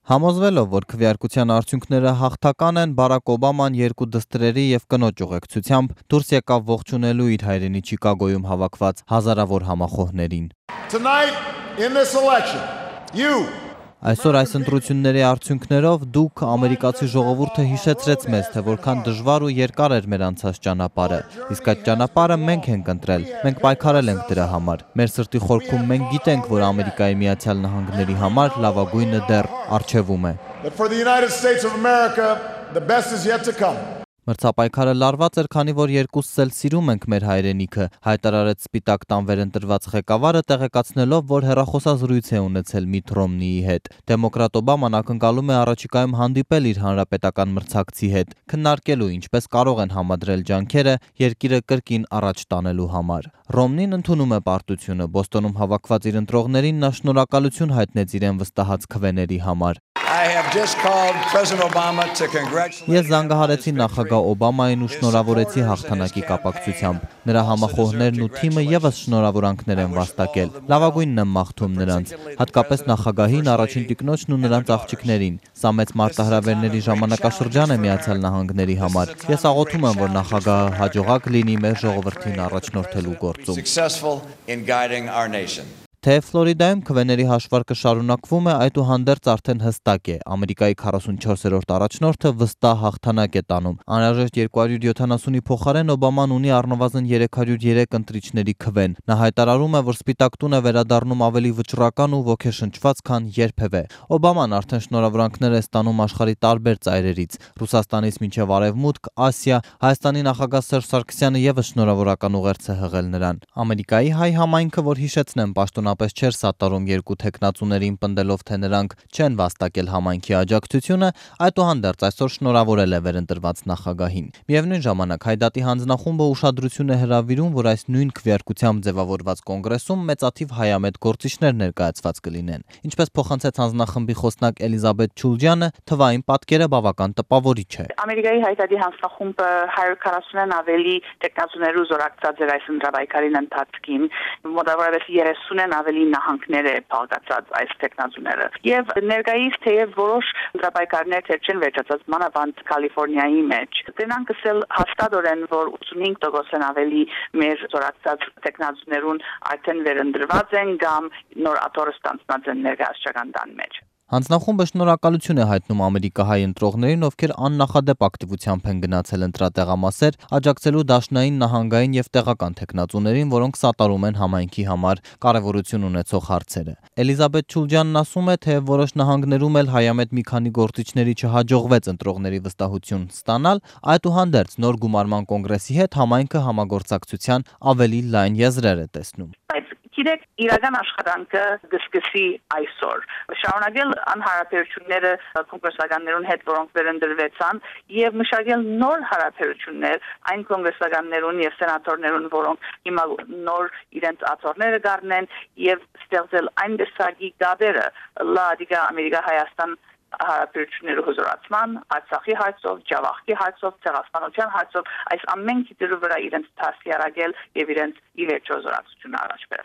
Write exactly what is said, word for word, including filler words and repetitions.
Համոզվելով, որ քվեարկության արդյունքները հաղթական են, Բարակ Օբաման երկու դստրերի և կնոջ ուղեկցությամբ դուրս եկավ ողջունելու իր հայրենի Չիկագոյում հավաքված հազարավոր համախոհներին։ Այսօր այս ընտրությունների արդյունքներով դուք, ամերիկացի ժողովուրդը, հիշեցրեց մեզ, թե որքան դժվար ու երկար էր մեր անցած ճանապարհը, իսկ այդ ճանապարհը մենք ենք ընտրել, մենք պայքարել ենք դրա համար։ Մեր սրտի խորքում մենք գիտենք, որ Ամերիկայի Միացյալ Նահանգների համար լավագույնը դեռ առջևում է։ Մրցապայքարը լարված էր, քանի որ երկուսս էլ սիրում ենք մեր հայրենիքը, հայտարարեց Սպիտակ տան վերընտրված ղեկավարը, տեղեկացնելով, որ հեռախոսազրույց է ունեցել Միթ Ռոմնիի հետ։ Դեմոկրատ Օբաման ակնկալում է առաջիկայում հանդիպել իր հանրապետական մրցակցի հետ, քննարկելու ինչպես կարող են համադրել ջանքերը երկիրը կրկին առաջ տանելու համար։ Ռոմնին ընդունում է պարտությունը, Բոստոնում հավաքված իր ընտրողներին նա շնորհակալություն հայտնեց իրեն վստահած քվեների համար։ Ես զանգահարեցի նախագահ Օբամային ու շնորհավորեցի հաղթանակի կապակցությամբ։ Նրա համախոհներն ու թիմը ևս շնորհավորանքներ են վաստակել։ Լավագույնն եմ մաղթում նրանց, հատկապես նախագահին, առաջին տիկնոջն ու նրանց աղջիկներին։ Սա մեծ մարտահրավերների ժամանակաշրջան է Միացյալ Նահանգների համար։ Ես աղոթում եմ, որ նախագահը հաջողակ լինի մեր ժողովրդին առաջնորդելու գործում։ Թեև Ֆլորիդայում քվեների հաշվարկը շարունակվում է, այդուհանդերձ արդեն հստակ է, Ամերիկայի քառասունչորսերորդ առաջնորդը վստահ հաղթանակ է տանում։ Անհրաժեշտ երկու հարյուր յոթանասունի փոխարեն Օբաման ունի առնվազն երեք հարյուր երեք ընտրիչների քվեն։ Նա հայտարարում է, որ Սպիտակ տուն է վերադառնում ավելի վճռական ու ոգեշնչված, քան երբևէ։ Օբաման արդեն շնորհավորանքներ է ստանում աշխարհի տարբեր ծայրերից՝ Ռուսաստանից մինչև Արևմուտք, Ասիա։ Հայաստանի նախագահ Սերժ Սարգսյանը ևս շնորհավորական ուղերձ է հղել նրան։ Ամերիկայի հայ համայնքը, որ հիշեցնեմ, պաշտոնապես չէր սատարում երկու թեկնածուներին, պնդելով, թե նրանք չեն վաստակել համայնքի աջակցությունը, այդուհանդերձ այսօր շնորհավորել է վերընտրված նախագահին։ Միևնույն ժամանակ Հայդատի հանձնախումբը ուշադրություն է հրավիրում, որ այս նույն քվեարկությամբ ձևավորված կոնգրեսում մեծաթիվ հայամետ գործիչներ ներկայացված կլինեն։ Ինչպես փոխանցեց հանձնախմբի խոսնակ Էլիզաբեթ Չուլջյանը, թվային պատկերը բավական տպավորիչ է։ Ամերիկայի Հայդատի հանձնախումբը հարյուր քառասունն ավելի տեխնացուներու զորակցած էր այս ընտրավայրի ընթացքին, մոտավորապես երեսունն ավելի նահանգներ է փոխկացած այս տեխնացուները։ Եվ ներկայիս թեև որոշ ընտրավայրներ թեր չեն վերջացած, մանավանդ Կալիֆոռնիայի մեջ, դրանք ասել հաստատորեն, որ ութսունհինգ տոկոսն ավելի մեր զորակցած տեխնացուներուն արդեն վերընտրված են կամ նոր աթոռ ստանձնած են ներկայացչական տան մեջ։ Հանձնախումբը շնորհակալություն է հայտնում ամերիկահայ ընտրողներին, ովքեր աննախադեպ ակտիվությամբ են գնացել ընտրատեղամասեր, աջակցելու դաշնային, նահանգային եւ տեղական թեկնածուներին, որոնք սատարում են համայնքի համար կարևորություն ունեցող հարցերը։ Էլիզաբեթ Չուլջյանն ասում է, թե որոշ նահանգներում էլ հայամետ մի քանի գործիչների չհաջողվեց ընտրողների վստահություն ստանալ, այդուհանդերձ նոր գումարման կոնգրեսի հետ համայնքը համագործակցության ավելի լայն եզրեր է տեսնում։ Գիտեք, իրական աշխատանքը կսկսի այսօր։ Շարունակել անհարաբերությունները կոնգրեսականներուն հետ, որոնք վերընտրվեցան, եւ մշակել նոր հարաբերություններ այն կոնգրեսականներուն եւ սենատորներուն, որոնք հիմա նոր իրենց աթոռները գարնեն, եւ ստեղծել այն դեսագի գաբերը լադիգա Ամերիկա-Հայաստան հարաբերությունների հզորացման, Արցախի հարցով, Ջավախքի հարցով, ցեղասպանության հարցով, այս ամեն քիթերի վրա իրենց դասյարակել եւ իրենց ի վերջո զորացությունը առաջ բերել։